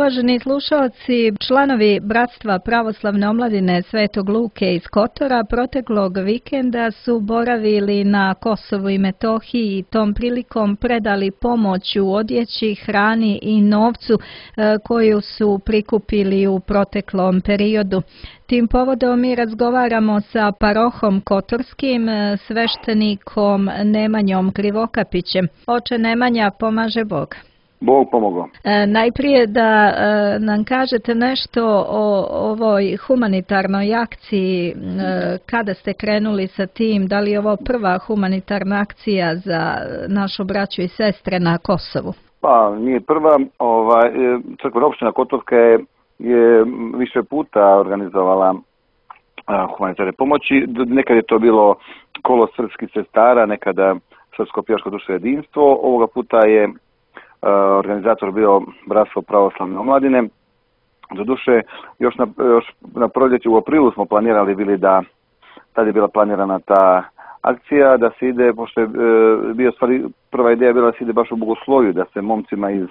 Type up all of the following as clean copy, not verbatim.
uvaženi slušalci, članovi Bratstva pravoslavne omladine Svetog Luke iz Kotora proteklog vikenda su boravili na Kosovu i Metohiji i tom prilikom predali pomoć u odjeći, hrani i novcu koju su prikupili u proteklom periodu. Tim povodom mi razgovaramo sa parohom Kotorskim, sveštenikom Nemanjom Krivokapićem. Oče Nemanja, pomaže Bog. Bog pomogao. Najprije da nam kažete nešto o ovoj humanitarnoj akciji, kada ste krenuli sa tim, da li je ovo prva humanitarna akcija za našu braću i sestre na Kosovu? Pa nije prva, crkvena opština Kotorska je više puta organizovala humanitarne pomoći. Nekad je to bilo kolo srpskih sestara, nekada Srpsko pjevačko društvo jedinstvo. Ovoga puta je organizator bio Bratstvo pravoslavne omladine. Doduše, još na proljeću u aprilu smo planirali bili da tad je bila planirana ta akcija, da se ide, pošto je bio stvari, prva ideja bila da se ide baš u Bogosloviju, da se momcima iz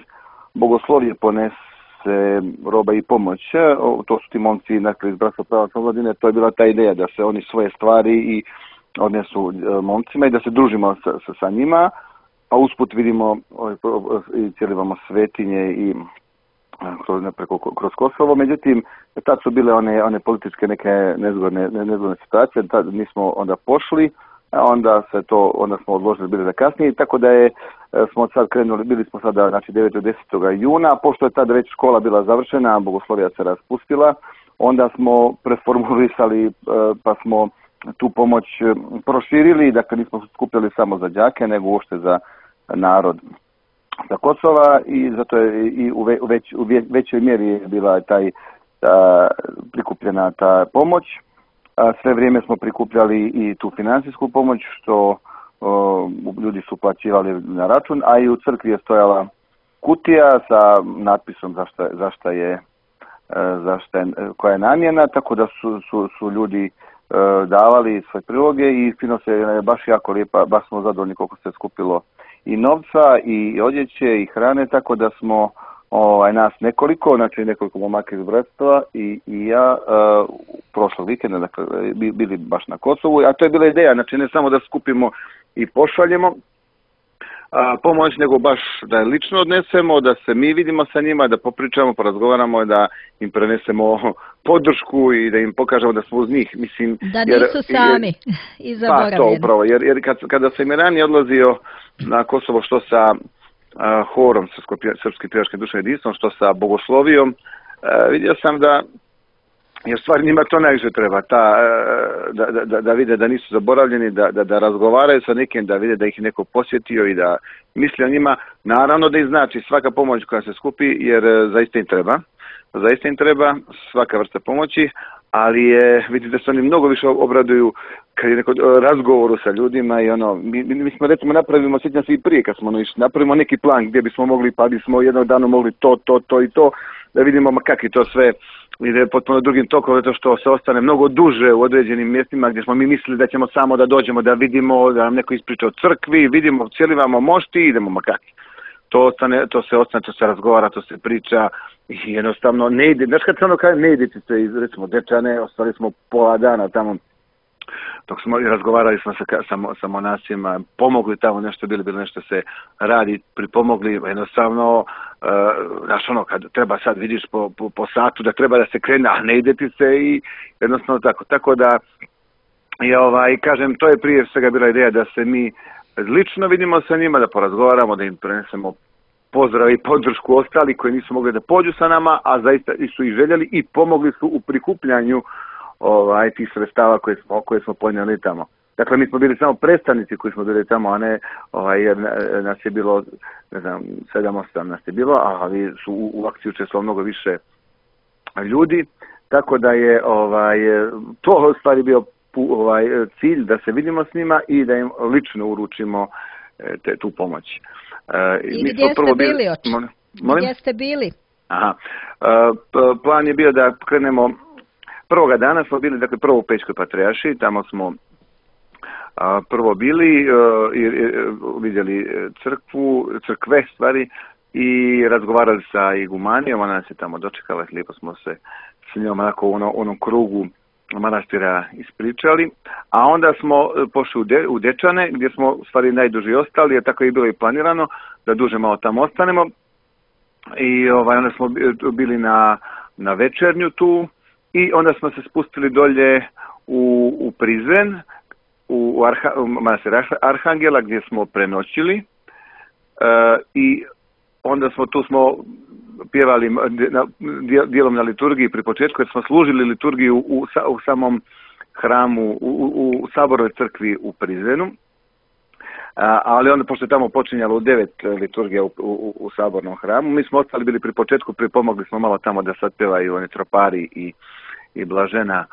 Bogoslovije ponese roba i pomoć. To su ti momci iz Bratstva pravoslavne omladine, to je bila ta ideja da se oni svoje stvari i odnesu momcima i da se družimo sa njima. A usput vidimo i cijelivamo svetinje i kroz Kosovo. Međutim, tad su bile one političke neke nezgodne situacije, tad nismo onda pošli, a onda smo odložili bili za kasnije, tako da smo sad krenuli, bili smo sada 9. 10. juna, pošto je tada već škola bila završena, Bogoslovija se raspustila, onda smo preformulisali pa smo tu pomoć proširili, dakle nismo skupljali samo za đake, nego uopšte za narod sa Kosova i zato je i u većoj mjeri je bila prikupljena ta pomoć. Sve vrijeme smo prikupljali i tu financijsku pomoć što ljudi su plaćivali na račun, a i u crkvi je stojala kutija sa natpisom koja je namjena, tako da su ljudi davali svoje priloge i fino se baš jako lijepa, baš smo zadovoljni koliko se skupilo i novca i odjeće i hrane, tako da smo nas nekoliko momaka iz bratstva i ja prošlog vikenda, dakle, bili baš na Kosovu, a to je bila ideja, znači ne samo da skupimo i pošaljemo pomoć, nego baš da je lično odnesemo, da se mi vidimo sa njima, da popričamo, porazgovaramo, da im prenesemo podršku i da im pokažemo da smo uz njih. Mislim, da nisu sami i zaboravljeni. Pa to upravo, jer kada sam i ranije odlazio na Kosovo, što sa horom Srpskim pjevačkim društvom jedinstvom, što sa Bogoslovijom, vidio sam da jer stvari njima to najviše treba, da vide da nisu zaboravljeni, da razgovaraju sa nekim, da vide da ih neko posjetio i da misli o njima. Naravno da ih znači svaka pomoć koja se skupi, jer zaista im treba svaka vrsta pomoći, ali vidite da se oni mnogo više obraduju kad je neko razgovoru sa ljudima i mi smo recimo napravimo, sjećam se i prije kad smo napravimo neki plan gdje bismo mogli, pa bismo jednog dana mogli to i to, da vidimo kako je to sve ide potpuno drugim tokom, zato što se ostane mnogo duže u određenim mjestima gdje smo mi mislili da ćemo samo da dođemo, da vidimo, da nam neko ispriča o crkvi, vidimo, cijelivamo mošti i idemo makaki. To se razgovara, to se priča i jednostavno ne ide. Znaš kad se kaže ne ide se iz recimo Dečane, ostali smo pola dana tamo dok smo razgovarali smo sa monasima, pomogli tamo nešto, bilo nešto se radi, pripomogli, jednostavno, kad treba sad vidiš po satu da treba da se krene, a ne ide ti se i jednostavno tako. Tako da, kažem, to je prije svega bila ideja da se mi lično vidimo sa njima, da porazgovaramo, da im prenesemo pozdrav i podršku ostali koji nisu mogli da pođu sa nama, a zaista su i željeli i pomogli su u prikupljanju tih sredstava koje smo podnijeli tamo. Dakle, mi smo bili samo predstavnici koji smo bili tamo, a ne jer nas je bilo, 7-8 nas je bilo, ali su u akciji učestvovalo mnogo više ljudi, tako da je to u stvari bio cilj da se vidimo s njima i da im lično uručimo tu pomoć. I gdje ste bili, oče? Gdje ste bili? Plan je bio da krenemo. Prvoga dana smo bili, dakle, prvo u Pećkoj Patrijaršiji, tamo smo vidjeli crkve stvari i razgovarali sa igumanijom, ona nas je tamo dočekala, lijepo smo se s njom onako u onom krugu manastira ispričali, a onda smo pošli u Dečane, gdje smo u stvari najduži ostali, jer tako je bilo i planirano, da duže malo tamo ostanemo. I onda smo bili na večernju tu i onda smo se spustili dolje u Prizren, u manastir Arhangela, gdje smo prenoćili i onda smo pjevali dijelom na liturgiji pri početku, jer smo služili liturgiju u samom hramu, u Sabornoj crkvi u Prizrenu. Ali onda, pošto je tamo počinjalo u 9 liturgija u Sabornom hramu, mi smo ostali bili pri početku, pripomogli smo malo tamo da sad pjevaju oni tropari i Blažena,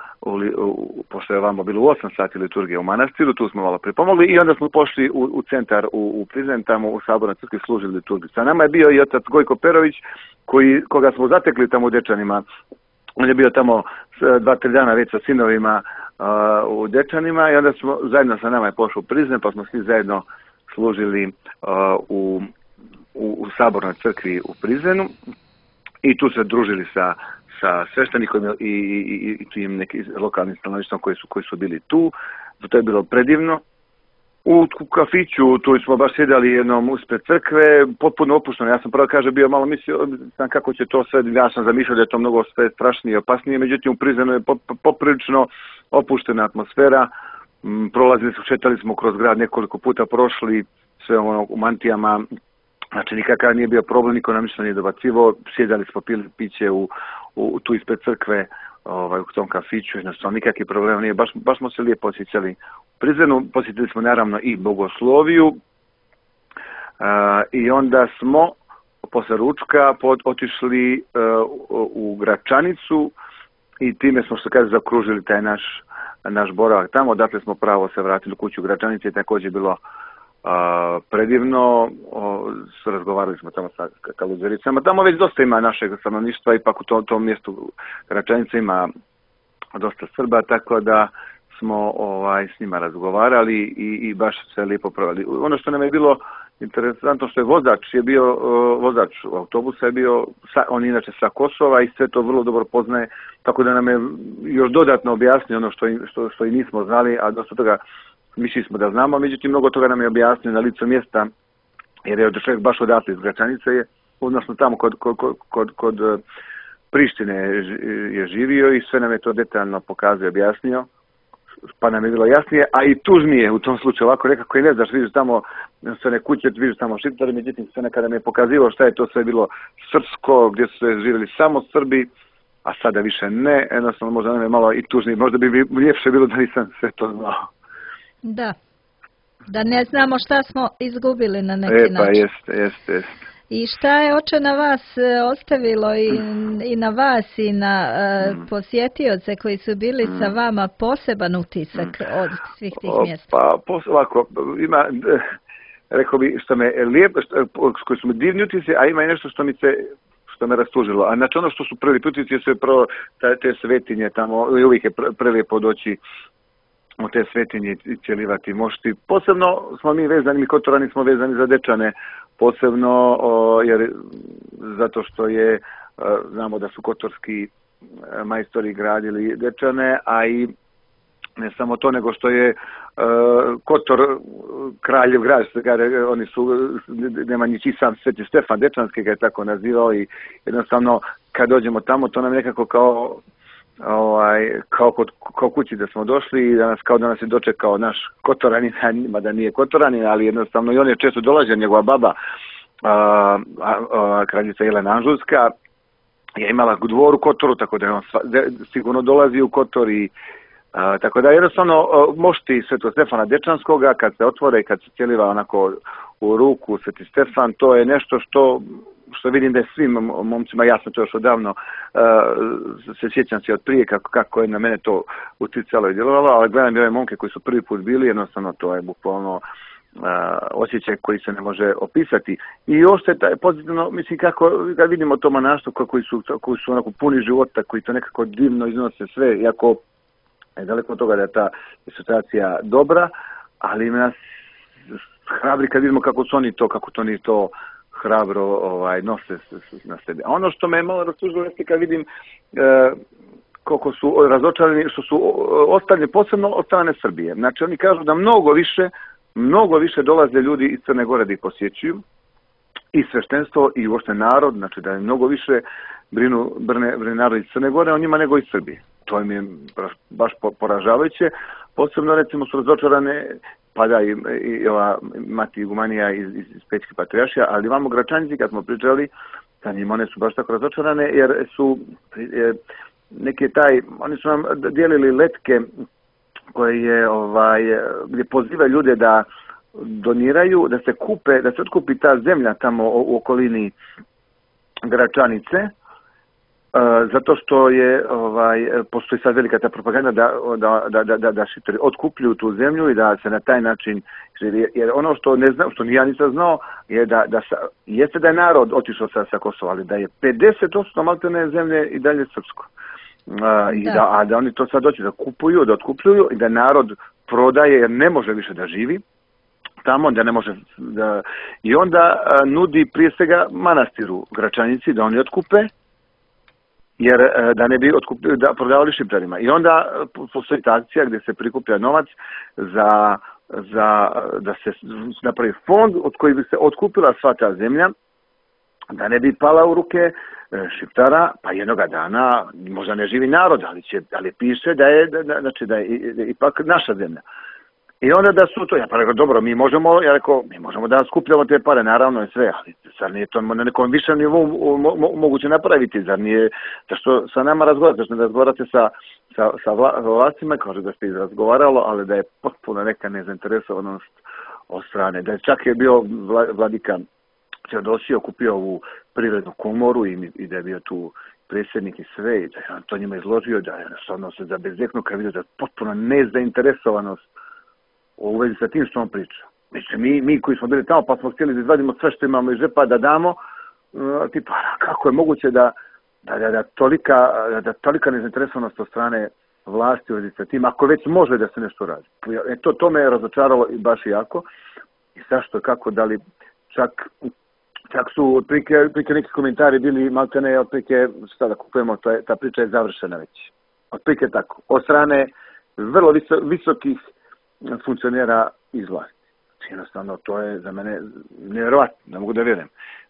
pošto je ovamo bilo u 8 sati liturgija u manastiru, tu smo malo pripomogli i onda smo pošli u centar u Prizren, tamo u Sabornoj crkvi služili liturgiju. Sa nama je bio i otac Gojko Perović, koga smo zatekli tamo u Dečanima. On je bio tamo 2-3 dana već sa sinovima u Dečanima i onda smo zajedno sa nama je pošao u Prizren, pa smo svi zajedno služili u Sabornoj crkvi u Prizrenu i tu se družili sa sveštenikom i tim nekim lokalnim stanovništvom koji su bili tu. To je bilo predivno. U kafiću, tu smo baš sjedali jednom uspred crkve, potpuno opušteno. Ja sam prvo bio malo mislio kako će to sve, ja sam zamišljao da je to mnogo sve strašnije i opasnije, međutim u Prizrenu je poprilično opuštena atmosfera. Šetali smo kroz grad, nekoliko puta prošli, sve u mantijama, znači nikakav nije bio problem, niko nam ništa nije dobacivao, sjedali smo, pili piće tu ispred crkve, u tom kafiću, jednostavno nikakvih problema nije, baš smo se lijepo osjećali u Prizrenu. Posjetili smo naravno i bogosloviju i onda smo posle ručka otišli u Gračanicu i time smo, što kaže, zakružili taj naš boravak tamo. Dakle smo pravo se vratili u kuću u Gračanici, je također bilo predivno. Razgovarali smo tamo sa kaluzericama. Tamo već dosta ima našeg stanovništva, ipak u tom mjestu Gračanica ima dosta Srba, tako da smo s njima razgovarali i baš se lijepo proveli. Ono što nam je bilo interesantno, što je vozač autobusa je bio, on inače sa Kosova i sve to vrlo dobro poznaje, tako da nam je još dodatno objasnio ono što i nismo znali, a dosta toga mislili smo da znamo, međutim mnogo toga nam je objasnio na licu mjesta, jer je čovjek baš odatle iz Gračanice, odnosno tamo kod Prištine je živio i sve nam je to detaljno pokazao i objasnio, pa nam je bilo jasnije, a i tužnije u tom slučaju, ovako nekako i ne znaš, vidiš tamo sve ne kuće, vidiš tamo Šiptari, međutim sve nekada mi je pokazivao šta je to sve bilo srpsko, gdje su se živjeli samo Srbi, a sada više ne, jednostavno možda nam je malo i tužnije, možda bi ljepše bilo da nisam sve to znao. Da ne znamo šta smo izgubili na neki način. Pa jest. I šta je oče na vas ostavilo i na vas i na posjetioce koji su bili sa vama poseban utisak od svih tih mjesta? Pa ovako, ima, rekao bi, što me lijepo, koji su mi divni utisci, a ima i nešto što me rastužilo. A znači ono što su prvi utisci su prvo te svetinje tamo, uvijek je prelijepo doći u te svetinje i cijelivati mošti. Posebno smo mi vezani, mi Kotorani smo vezani za Dečane, posebno jer zato što znamo da su kotorski majstori gradili Dečane, a i ne samo to, nego što je Kotor kraljev grad, oni su, Nemanjići sam Sveti Stefan Dečanski ga je tako nazivao i jednostavno kad dođemo tamo to nam nekako kao kući da smo došli i kao da nas je dočekao naš Kotoranin, mada nije Kotoranin, ali jednostavno i on je često dolazio, njegova baba, kraljica Jelena Anžujska, je imala dvor u Kotoru, tako da je on sigurno dolazi u Kotor i tako da jednostavno mošti Svetog Stefana Dečanskoga kad se otvore i kad se cijeliva onako u ruku Sveti Stefan, to je nešto što vidim da je svim momcima jasno, to još odavno se sjećam se od prije kako je na mene to uticalo i djelovalo, ali gledam i ove momke koji su prvi put bili, jednostavno to je bukvalno osjećaj koji se ne može opisati. I ostaje taj pozitivno, mislim kad vidimo to manaštvo koji su onako puni života, koji to nekako divno iznose sve, iako je daleko od toga da je ta situacija dobra, ali nas hrabri kad vidimo kako to oni to hrabro nose na sebi. A ono što me malo rastužilo jeste kad vidim koliko su razočarani, što su ostavljeni posebno od strane Srbije. Znači oni kažu da mnogo više dolaze ljudi iz Crne Gore da ih posjećuju, i sveštenstvo i uopšte narod, znači da je mnogo više brine narod iz Crne Gore o njima nego iz Srbije. To mi je baš poražavajuće. Posebno recimo su razočarane, pa da i ova mati igumanija iz Pećke patrijaršija, ali imamo Gračanici, kad smo pričali sa njim, one su baš tako razočarane jer su oni su nam dijelili letke koje je gdje poziva ljude da doniraju, da se otkupi ta zemlja tamo u okolini Gračanice, zato što je postoji sad velika ta propaganda da šiptari otkupljuju tu zemlju i da se na taj način, jer ono što ne znam, što ni ja nisam znao, je jeste da je narod otišao sa Kosova, ali da je 50% maltene zemlje i dalje srpsko. A da oni to sad doći da otkupljuju i da narod prodaje jer ne može više da živi tamo, da ne može i onda nudi prije svega manastiru Gračanici da oni otkupe, jer da ne bi da prodavali šiptarima. I onda postoji ta akcija gdje se prikuplja novac da se napravi fond od koji bi se otkupila sva ta zemlja, da ne bi pala u ruke šiptara, pa jednoga dana možda ne živi narod, ali piše da je ipak naša zemlja. I onda da su to, ja pa rekao, dobro, mi možemo da skupljamo te pare, naravno i sve, ali zar nije to na nekom višem nivou moguće napraviti, zar nije, zašto sa nama razgovarate, zašto ne razgovarate sa vlastima, kaže da ste razgovaralo, ali da je potpuno neka nezainteresovanost od strane, da je čak je bio vladika Teodosije okupio ovu privrednu komoru i da je bio tu predsjednik i sve, i da je on to njima izložio, da je jednostavno se zabezeknuo kad vidio da je potpuno nezainteresovanost u vezi sa tim što on priča. Mislim, mi koji smo bili tamo pa smo htjeli da izvadimo sve što imamo iz žepa da damo, tipa, kako je moguće da tolika nezainteresovanost od strane vlasti u vezi sa tim, ako već može da se nešto radi. To me je razočaralo i baš jako. I zašto, kako, da li čak su otprilike neki komentari bili maltene, otprilike šta da kupujemo, ta priča je završena već. Otprilike tako. Od strane vrlo visokih funkcionera iz vlasti. Jednostavno, to je za mene nevjerovatno, ne mogu da vjerujem.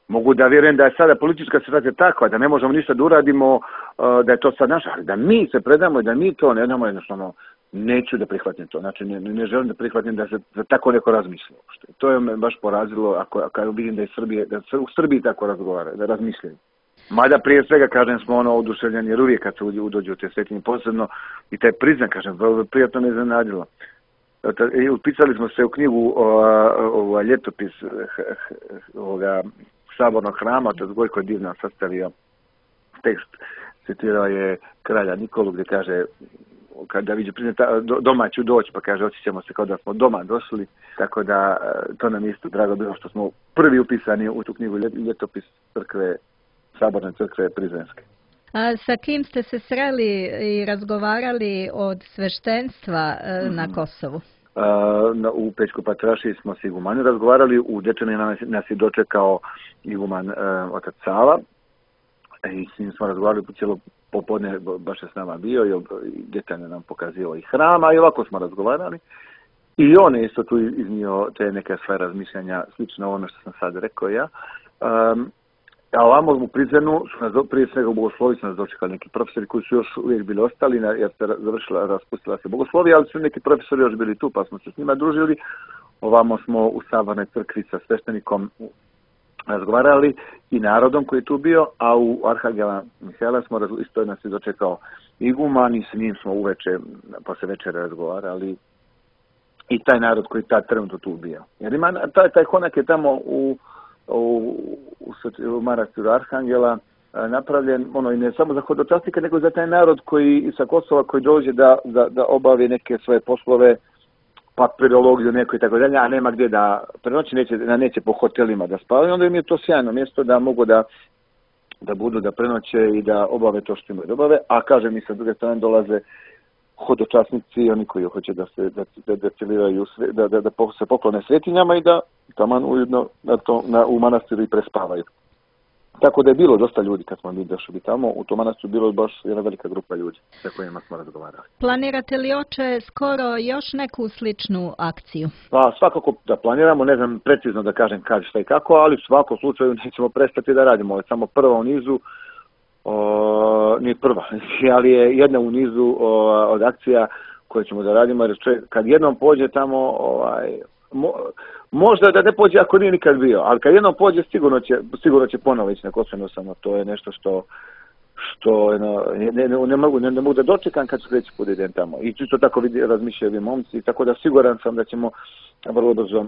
Mogu da vjerujem da je sada politička situacija takva, da ne možemo ništa da uradimo, da je to sad naša, ali da mi se predamo i da mi to ne damo, jednostavno neću da prihvatim to. Znači, ne želim da prihvatim da se tako neko razmišlja. To je me baš porazilo ako vidim da u Srbiji tako razgovara, da razmišljaju. Mada prije svega, kažem, smo oduševljeni, jer uvijek kad se udođe u te svetinje, posebno i taj priznak, kažem, vrlo prijatno me iznenadilo. Upisali smo se u knjigu ljetopis ovoga sabornog hrama, to je Gojko Divna sastavio tekst, citirao je kralja Nikolu gdje kaže kada viđe doma ću doći, pa kaže osjećamo se kao da smo doma došli, tako da to nam isto drago bilo što smo prvi upisani u tu knjigu ljetopis crkve, saborne crkve Prizrenske. A sa kim ste se sreli i razgovarali od sveštenstva na Kosovu? U Pećkoj patrijaršiji smo s igumanom razgovarali, u Dečani nas je dočekao iguman otac Sava i s njim smo razgovarali po cijelo popodne, baš je s nama bio i detaljno nam pokazio i hrama i ovako smo razgovarali. I on je isto tu iznio te neke svoje razmišljanja, slično ovome što sam sad rekao ja. A ovamo u Prizrenu su prije svega u Bogoslovi su nas dočekali neki profesori koji su još uvijek bili ostali jer se raspustila se Bogoslovija, ali su neki profesori još bili tu pa smo se s njima družili. Ovamo smo u Sabornoj crkvi sa sveštenikom razgovarali i narodom koji je tu bio, a u Arhangela Mihajla smo isto nas je dočekao iguman i s njim smo uveče, posle večera razgovarali i taj narod koji tad trenutno tu bio. Jer ima, taj konak je tamo u manastiru Arhangela napravljen, i ne samo za hodočasnika, nego za taj narod koji sa Kosova koji dođe da obavi neke svoje poslove, papirologiju neko i tako dalje, a nema gdje da prenoći, neće po hotelima da spavaju, onda im je to sjajno mjesto da mogu da budu, da prenoće i da obave to što imaju da obave, a kažem i sa druge strane dolaze hodočasnici, oni koji hoće da se deciliraju, da se poklone svetinjama i da taman ujedno u manastiru i prespavaju. Tako da je bilo dosta ljudi kad smo mi došli tamo, u tom manastiru bilo baš jedna velika grupa ljudi sa kojima smo razgovarali. Planirate li, oče, skoro još neku sličnu akciju? Pa svakako da planiramo, ne znam precizno da kažem kad, šta i kako, ali u svakom slučaju nećemo prestati da radimo. Ovo je samo prva u nizu, nije prva, ali je jedna u nizu od akcija koje ćemo da radimo, jer kad jednom pođe tamo, možda da ne pođe ako nije nikad bio, ali kad jednom pođe sigurno će ponovo ići na Kosovo, samo to je nešto što ne mogu da dočekam kad sljedeći put idem tamo. I čisto tako razmišljaju momci, tako da siguran sam da ćemo vrlo brzo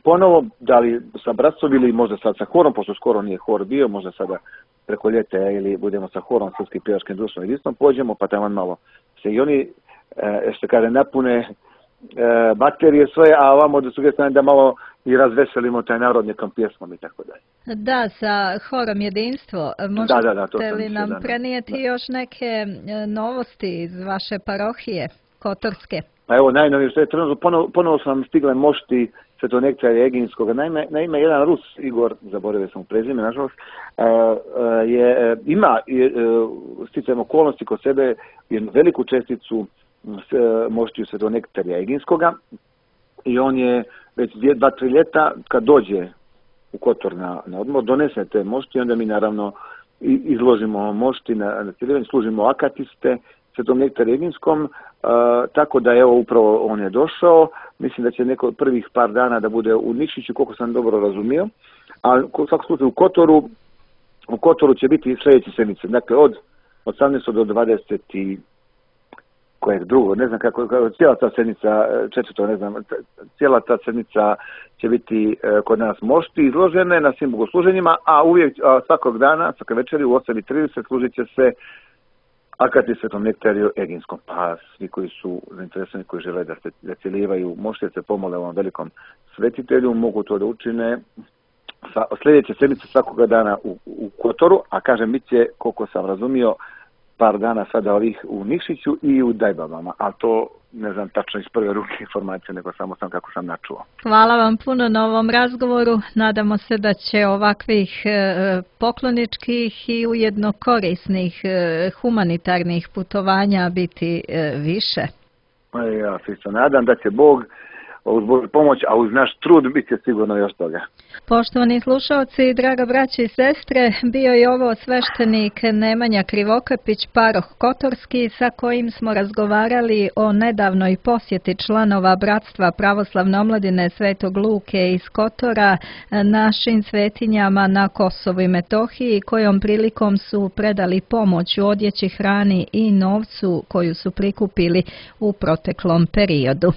ponovo, da li sa bratstvom ili možda sad sa horom, pošto skoro nije hor bio, možda sada preko ljeta ili budemo sa horom Srpskim pjevačkim društvom jedinstvom pođemo, pa tamo malo se i oni, što kaže, napune baterije svoje, a ovamo da su da malo i razveselimo taj narod nekom pjesmom i tako dalje. Da, sa horom jedinstvo. Možete li nam prenijeti još neke novosti iz vaše parohije Kotorske? Pa evo, najnovije što je trenutno, ponovo sam stigle mošti Svetonektarija Eginskoga. Naime, jedan Rus, Igor, zaboravio sam u prezime, nažalost, ima sticajem okolnosti kod sebe jednu veliku česticu moštiju Svetonektarija Eginskoga i on je već 2-3 ljeta kad dođe u Kotor na odmor, donese te mošti i onda mi naravno izložimo mošti na cijelivanje, služimo akatiste Svetom Nektariju Eginskom, tako da evo upravo on je došao. Mislim da će prvih par dana da bude u Nikšiću, koliko sam dobro razumio, a u svakom slučaju u Kotoru će biti sljedeće sedmice, dakle od 18. do 20. kojeg drugo, ne znam kako, cijela ta sedmica, četvrto, ne znam, cijela ta sedmica će biti kod nas mošti izložene na svim bogosluženjima, a uvijek svakog dana, svake večeri u 8:30 služit će se akati Svetom Nektariju Eginskom. Pa svi koji su zainteresovani, koji žele da cijelivaju mošti, da se pomole ovom velikom svetitelju, mogu to da učine sljedeće sedmice svakoga dana u Kotoru, a kažem, bit će, koliko sam razumio, par dana sada ovih u Nikšiću i u Dajbavama, a to ne znam tačno iz prve ruke informacije, nego samo sam kako sam načuo. Hvala vam puno na ovom razgovoru. Nadamo se da će ovakvih pokloničkih i ujedno korisnih humanitarnih putovanja biti više. Ja se isto nadam da će Bog uz Božju pomoć, a uz naš trud bit će sigurno još toga. Poštovani slušalci, draga braće i sestre, bio je ovo sveštenik Nemanja Krivokapić, paroh Kotorski, sa kojim smo razgovarali o nedavnoj posjeti članova Bratstva pravoslavne omladine Svetog Luke iz Kotora našim svetinjama na Kosovu i Metohiji, kojom prilikom su predali pomoć u odjeći, hrani i novcu koju su prikupili u proteklom periodu.